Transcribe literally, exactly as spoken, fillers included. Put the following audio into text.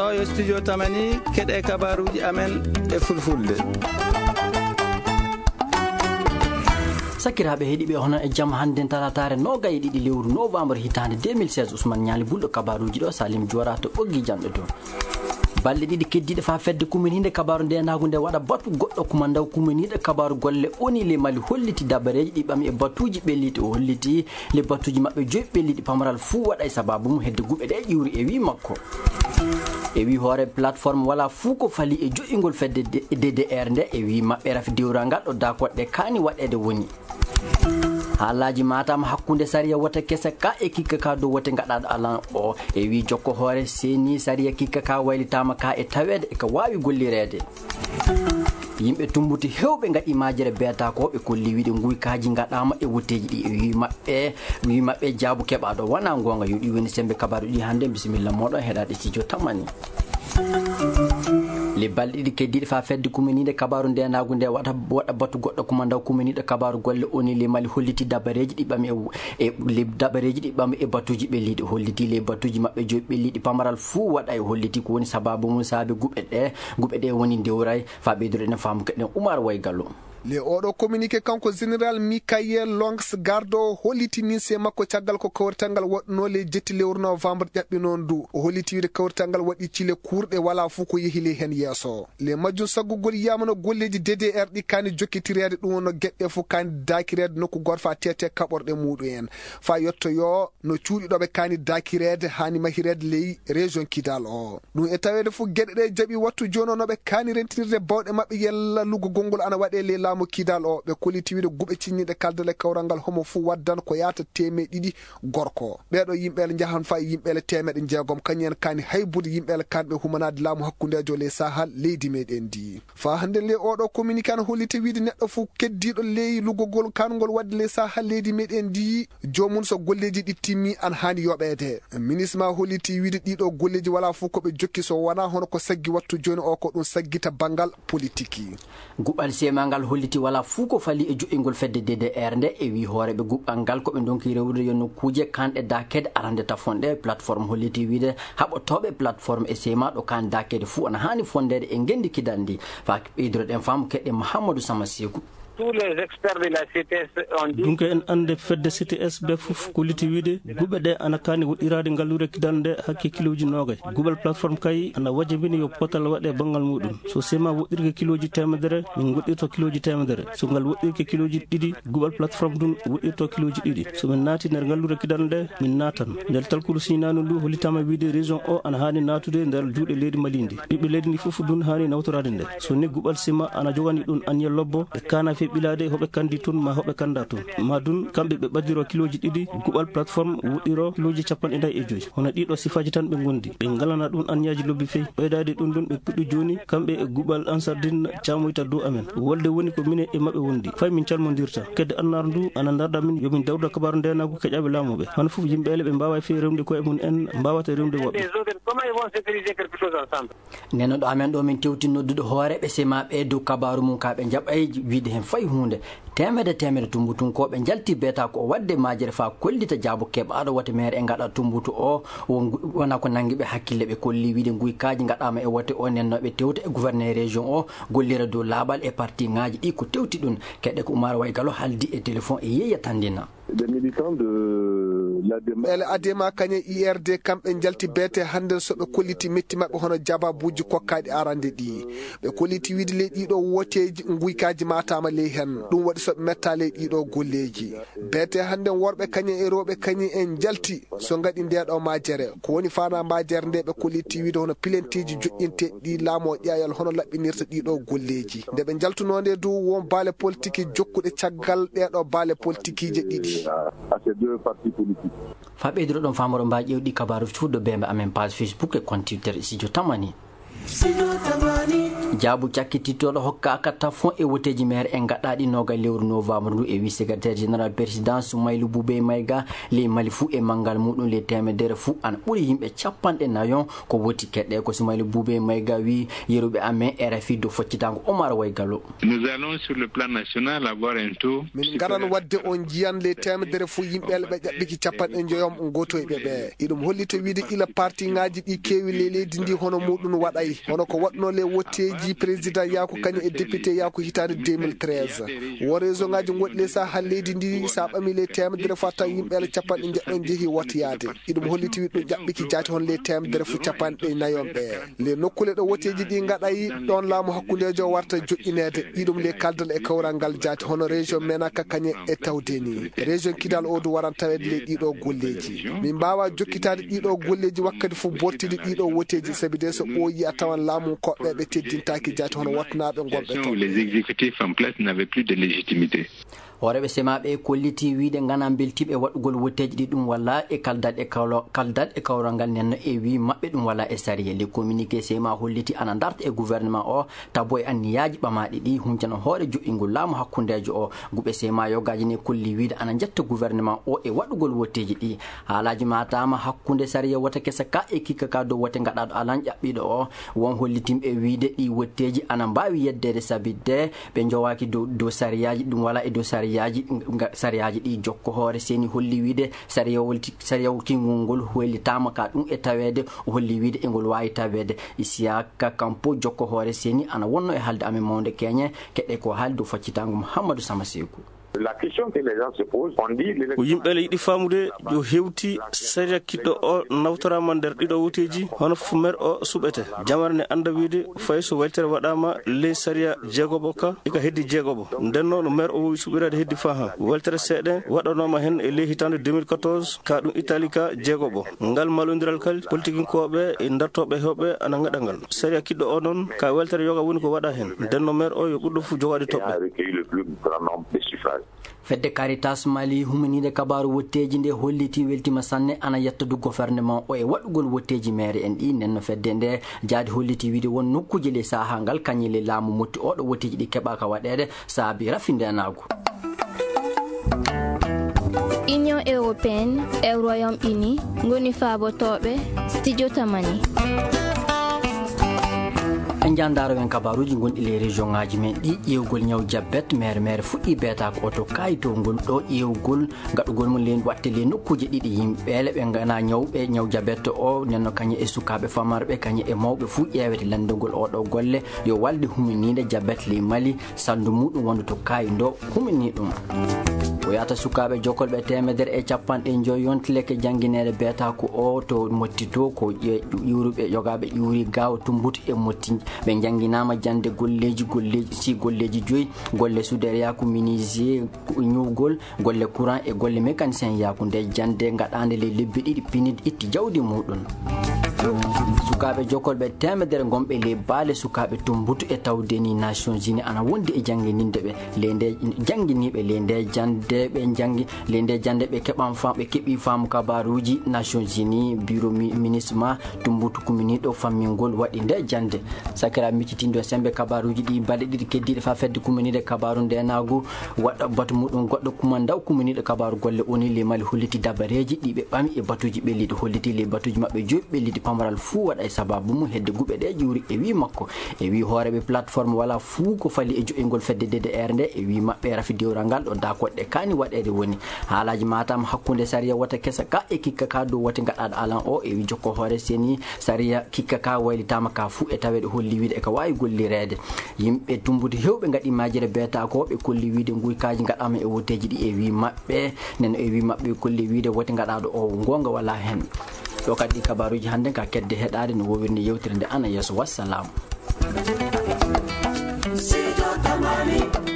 Yo studio Tamani, keɗe kabaruuji amen e fulfulde. Sakiraaɓe heɗiiɓe, hono e jam hannden talataare noogay e ɗiɗi lewru novembre hitaande deux mille seize, Ousmane Ñaali Bulɗo kabaruuji ɗo, Salim Joora to ɓoggi janɗo to. Balɗe ɗiɗi keddiiɗe faa fedde kuminiinde kabaaru ndeenaagu nde waɗa batu goɗɗo kumandaw kuminiiɗo kabaaru golle O N U le Mali holliti dabareeji ɗi ɓami e batuuji ɓelliiɗi. O holliti le batuuji maɓɓe joyi ɓelliiɗi pamaral fuu waɗa e sabaabu mum hedde guɓe ɗe ƴiwri e wii makko. E wii hoore plateforme wala fuu ko fali e joƴƴingol fedde D D R nde e wii maɓɓe rafi dewral ngal ɗo dakoɗe kaani waɗeede woni. Haalaaji Matam hakkunde sariya wote kese ka e kikka ka dow wote ngaɗaaɗo alan o e wii jokko hoore seni sariya kikka ka waylitaama ka e taweede e ka waawi gollireede. Yimɓe Tumbutu heewɓe ngaɗi majere beeta ko ɓe kolli wiide nguykaaji ngaɗaama e wotteeji ɗi e wii maɓɓe, wii maɓɓe jaabu keɓaaɗo wonaa ngoonga. Yo ɗi woni sembe kabaaru ɗi hannde. Bisimilla mooɗon heɗaaɗe studio Tamani. Le balɗe ɗiɗi keddiiɗe faa fedde kuminiinde kabaaru ndeenaagu nde waɗa, waɗa batu goɗɗo kumandaw kuminiiɗo kabaaru golle O N U le Mali holliti dabareeji ɗi ɓami e, e le dabareeji ɗi ɓami e batuuji ɓelliiɗi. Holliti le batuuji maɓɓe joyi ɓelliiɗi pamaral fuu waɗa e holliti ko woni sabaabu mum saabe guɓe ɗe, guɓe ɗe woni ndewray. Faa ɓeydude ene faamu keɗen Umar Waygalo. Le oɗo communiqué kanko général Michael Longs Gardo holliti ninse makko caggal ko kawrital ngal waɗunoo le jetti lewru novembre ƴaɓɓinoo ndu. O holliti wiide kawrital ngal waɗi cile kuurɗe wala fuu ko yehi le heen yeeso. Le majjum saggugol yamano golleeji D D R ɗi kaani jokkitireede ɗum wonno geɗe fof kaani daakireede nokku gooto faa teete kaɓorɗe muɗum en. Faa yettoyoo no cuuɗi ɗo ɓe kaani daakireede haani mahireede ley région Kidal o. Ɗum e taweede fof geɗe ɗe jaɓi wattu jooni o no ɓe kaani rentinirde bawɗe maɓɓe yalla luggogol ngol ana waɗee ley laamu Kidal o. Ɓe kolliti wiide guɓe cinñiiɗe kaldal e kawral ngal homo fof waddan ko yaata teemeɗe ɗiɗi gorko. Ɓeeɗo yimɓeele njahan faa e yimɓeele teemeɗe jeegom kañum en kaani haybude yimɓeele kanɓe humanaade laamu hakkundeejo ley Sahal leydi meɗen ndi. Faa hannde le oɗo communiqué ana holliti wiide neɗɗo fof keddiiɗo ley luggogol kaangol waɗde ley Sahal leydi meɗen ndi joomum so golleeji ɗi timmi ana haani yoɓeede. Ministre ma holliti wiide ɗiɗo golleeji wala fof ko ɓe jokki so wonaa hono ko saggi wattu jooni o ko ɗum saggita banngal politiki. Guɓal sema ngal holliti wala fuu ko fali e joƴƴingol fedde D D R nde e wii hooreeɓe guɓal ngal ko ɓe ndonki rewrude yo nokkuuje kanɗe daakeede arande tafonɗe plateforme holliti wiide haɓotooɓe plateforme e sema ɗo kaan daakeede fuu ana haani fondeede e ngenndi kidal ndi. Faa ɓeydude ɗen faamu keɗe Mahamadou Sama Seeku. Tous les experts de la C T S ont dit Dunke en annde fedde C T S ɓe fof kolliti wiide guɓe ɗe ana kaani woɗɗiraade ngalluure kidal nde hakke kilooji noogay. Guɓal plateforme kay ana wajabini yo potal waɗe banngal muɗum. So sema woɗɗirke kilooji teemedere, min ngoɗɗirto kilooji teemedere. So ngal woɗɗirke kilooji ɗiɗi, guɓal plateforme ɗum woɗɗirto kilooji ɗiɗi. So min naati nder ngalluure kidal nde, min naatan. Nder talkuru siñinaandu ndu hollitaama wiide région o ana haani naatude nder juuɗe leydi Mali ndi. Ɓiɓɓe leydi ndi fof ɗum haani nawtoraade nde. So ni guɓal sima ana jogani ɗum anniya lobbo, ɓe kaana fee ɓilaade hoɓe kandi toon ma hoɓe kanda toon. Ma ɗum kamɓe ɓe ɓaddiro kilooji ɗiɗi, guɓal plateforme woɗɗiro kilooji capanɗe nayi e joyi. Hono ɗiɗo sifaaji tan ɓe ngondi. Ɓe ngalana ɗum anniyaaji lobbi fey. Ɓeydaade ɗum ɗum ɓe puɗɗi jooni, kamɓe e guɓal Ansardine caamoyta dow amen. Wolde woni ko minen e maɓɓe wondi. Fay min calmondirta. Kedde annaar ndu ana ndarda min yo min dawda kabaaru ndeenaagu keƴaaɓe laamooɓe. Hono fof yimɓe ele ɓe mbaawa fey rewde koye mum en mbaawata rewde woɓɓe. Nden no ɗo amen ɗo min tewti noddude hooreeɓe semaaɓe dow kabaaru mum ka ɓe njaɓay wiide heen fay huunde. Teemedde teemedde tumbutunkooɓe njalti beeta ko o waɗde majere faa kollita jaabo keɓaaɗo wote maire e ngaɗa tumbutu o won-, wona ko nanngi ɓe hakkille. Ɓe kolli wiide nguykaaji ngaɗaama e wote o nennooɓe tewta e gouverneur région o gollira dow laaɓal e parti ŋaaji ɗi ko tewti ɗum. Keɗe ko Umar Waygalo haaldi e téléphone e Yeeya Tandina. Des militants de l'A D M A. Ele A D M A kañe I R D kamɓe njalti beete hannden so ɓe kolliti metti maɓɓe hono jababuuji kokkaaɗi arande ɗi. Ɓe kolliti wiide ley ɗiɗo wooteeji nguykaaji maataama ley heen. Ɗum waɗi so ɓe metta ley ɗiɗo golleeji. Beete hannden worɓe kañe e rewɓe kañe en njalti so ngaɗi ndeeɗo majere. Ko woni faanaa majere nde ɓe kolliti wiide hono pilenteeji joƴƴinteeɗi ɗi laamu o ƴeeyal hono laɓɓinirta ɗiɗo golleeji. Nde ɓe njaltunoo nde dow won baale politiki jokkuɗe caggal ɗeeɗo baale politikiije ɗiɗi. À ces deux partis politiques. Faa ɓeydude ɗon faamoro mbaa ƴeewɗi kabaaru cuuɗo bembe amen page Facebook e compte Twitter Studio Tamani. Studio Tamani. Jaabu cakkitittooɗo hokkaaka tafon e woteeji maire en gaɗaaɗi nooga lewru novembre ndu e wi secrétaire général président Soumaïlou Boubèye Maïga, ley Mali fuu e manngal muɗum ley teemedere fuu ana ɓuri yimɓe capanɗe nayon ko woti keɗɗe ko Soumaïlou Boubèye Maïga wi yeruɓe amen R F I dow foccitaango Omar Waygalo. Nous allons sur le plan national avoir un taux Min ngaran waɗde on njiyan ley teemedere fof yimɓe ɓe ƴaɓɓiki capanɗe njoyom ngotoyɓe ɓe. Iɗum hollita wiide ila parti ŋaaji ɗi keewi ley leydi ndi hono muɗum waɗay. Hono ko waɗno ley wotteeji président yaako kañum e député yaako hitaande deux mille treize. Wo région ŋaaji ngoɗɗi ley saha leydi ndi sa ɓami ley teemedere fof a tawa yimɓe ɓe capanɗe njeɗɗo njehi wotoyaade. Iɗum holliti wiɗɗo ƴaɓɓiki jaati hono ley teemedere fof capanɗe nayon ɓe. Le nokkule ɗo woteeji ɗi ngaɗay ɗon laamu hakkundeejo warta joƴƴineede. Iɗum le kaldal e kawral ngal jaati hono région Menaka kañe e tawde ni. Région Kidal o du waran taweede le ɗiɗo golleeji. Min mbaawa jokkitaade ɗiɗo golleeji wakkati fof bortidi ɗiɗo woteeji sabi de so ɓooyi a tawan laamu koɓɓe ɓe teddintaaki jaati hono watnaaɓe ngonɓe toon. Les exécutifs en place n'avaient plus de légitimité. Hooreeɓe semaaɓe kolliti wiide ngana mbeltiiɓe waɗugol wotteeji ɗi ɗum walla e kaldal e kawlo-, kaldal e kawral ngal nenno e wii maɓɓe ɗum wala e sariya. Le communiqué sema holliti ana darta e gouvernement o tabo e anniyaaji ɓamaaɗi ɗi huncana hoore joɗɗingol laamu hakkundeejo o. Guɓe sema yogaaji ne kolli wiide ana njetta gouvernement o e waɗugol wotteeji ɗi. Haalaaji maataama hakkunde sariya wota kesa ka e kikka ka dow wote ngaɗaaɗo alan ƴaɓɓiiɗo o. Won hollitimɓe wiide ɗi wotteeji ana mbaawi yeddeede sabitde ɓe njowaaki dow, dow sariyaaji, ɗum wala e dow sariyaaji, nga-, sariyaaji ɗi jokko hoore seni holli wiide sariyawol ti-, sariyawol kingol ngol hoylitaama ka ɗum e taweede, o holli wiide e ngol waawi taweede. Isiyaka Kampo jokko hoore seni ana wonno e haalde amen mawnde keñe, keɗe ko haalde dow faccitaango Mouhamadou Sama Seku. La question que les gens se posent, on dit l'élection Ko yimɓe le yiɗi faamude yo hewti sariya kiɗɗo o nawtoraama nder ɗiɗo woteeji, hono fof maire o suɓete. Jamare ne annda wiide fay so weltere waɗaama ley sariya jeegoɓo ka, ika heddi jeegoɓo. Nden noon maire o wowi suɓiraade heddi faa han. Weltere seeɗa waɗanooma hen e ley hitaande deux mille quatorze, ka ɗum Italie ka jeegoɓo. Ngal malondiral kal, politikinkooɓe e dartooɓe hewɓe ana ngaɗa ngal. Sariya kiɗɗo o noon, ka weltere yoga woni ko waɗa hen. Nden no maire o yo ɓurɗo fof jogaade toɓɓe. A recueilli le plus grand nombre de suffrages. Fedde Caritas Mali huminiinde kabaaru wotteeji nde holliti weltima sanne ana yetta du gouvernement o e waɗugol wotteeji maire en ɗi. Nden no fedde nde jaadi holliti wiide won nokkuuje ley saha ngal kañe le laamu motti oɗo wotteeji ɗi keɓaka waɗeede saabi rafi ndenaagu. Union européenne e Royaume-Uni ngoni faabotooɓe studio Tamani. En njandaaro men kabaaruuji gonɗi ley région ŋaaji men ɗi ƴeewgol ñaw jabet mere mere fuɗɗi beetaako o to kayitol ngol ɗo ƴeewgol gaɗugol mum ley watte ley nokkuuje ɗiɗi yimɓe le ɓe ngana ñawɓe ñaw jabet o nenno kañe e sukaaɓe famarɓe kañe e mawɓe fuu ƴeewete lanndugol oɗo golle yo walde huminiinde jabet ley Mali. Sanndu muɗum wondu to kaayi ndo humini ɗum. Ko yahata sukaaɓe jokolɓe teemedere e capanɗe njoy yonti leke janngineede beetaako o to motti to ko ƴe-, ƴuuruɓe yogaaɓe ƴuuri gaawo tumbutu e motti. Ɓe njannginaama jannde golleeji, golleeji, si golleeji joyi, golle suudereya ko minisiye, ko ñuugol, golle courant e golle mécanicien yaaku nde jannde gaɗaande ley lebbi ɗiɗi pinid itti jawdi muɗum. Sukaaɓe jokolɓe teemedere gonɓe ley baale sukaaɓe tumbutu e tawde ni Nations Unies ana wondi e janngininde ɓe ley nde jannginiiɓe ley nde jannde ɓe janngi ley nde jannde ɓe keɓan fam-, ɓe keɓi faamu kabaaruuji Nations Unies bureau mi-, ministre ma tumbutu kuminiiɗo fammingol waɗi nde jannde. Sakira miccitindo sembe kabaaruuji ɗi balɗe ɗiɗi keddiiɗe fa fedde kuminiiɗe kabaaru ndenaagu waɗa batu muɗum goɗɗo kumandaw kuminiiɗo kabaaru golle O N U ley Mali holliti dabareeji ɗi ɓe ɓami e batuuji ɓelliiɗi holliti ley batuuji maɓɓe joyi ɓelliiɗi pamaral fuu waɗa e sababu mum hedde guɓe ɗe ƴuuri e wii makko. E wii hooreeɓe plateforme wala fuu ko fali e jo'ingol fedde D D R nde e wii maɓɓe rafi dewral ngal ɗo dakoɗɗe kaani waɗeede woni. Haalaaji matam hakkunde sariya wota kesa ka e kikka ka dow wote gaɗaaɗo alan o e wii jokko hoore seni sariya kikka ka waylitaama ka fuu e taweede holli wiide e ka waawi gollireede. Yimɓe tumbude hewɓe ngaɗi majere beeta ko ɓe kolli wiide nguykaaji ngaɗaama e woteeji ɗi e wii maɓɓe. Nen e wii maɓɓe kolli wiide wote ngaɗaaɗo o goonga wala hen. Ɗo kadi ɗi kabaaruuji hannde ka kedde heɗaade no wowirnde yewtere nde ana yeeso. Wassalam. Sijo Tamani.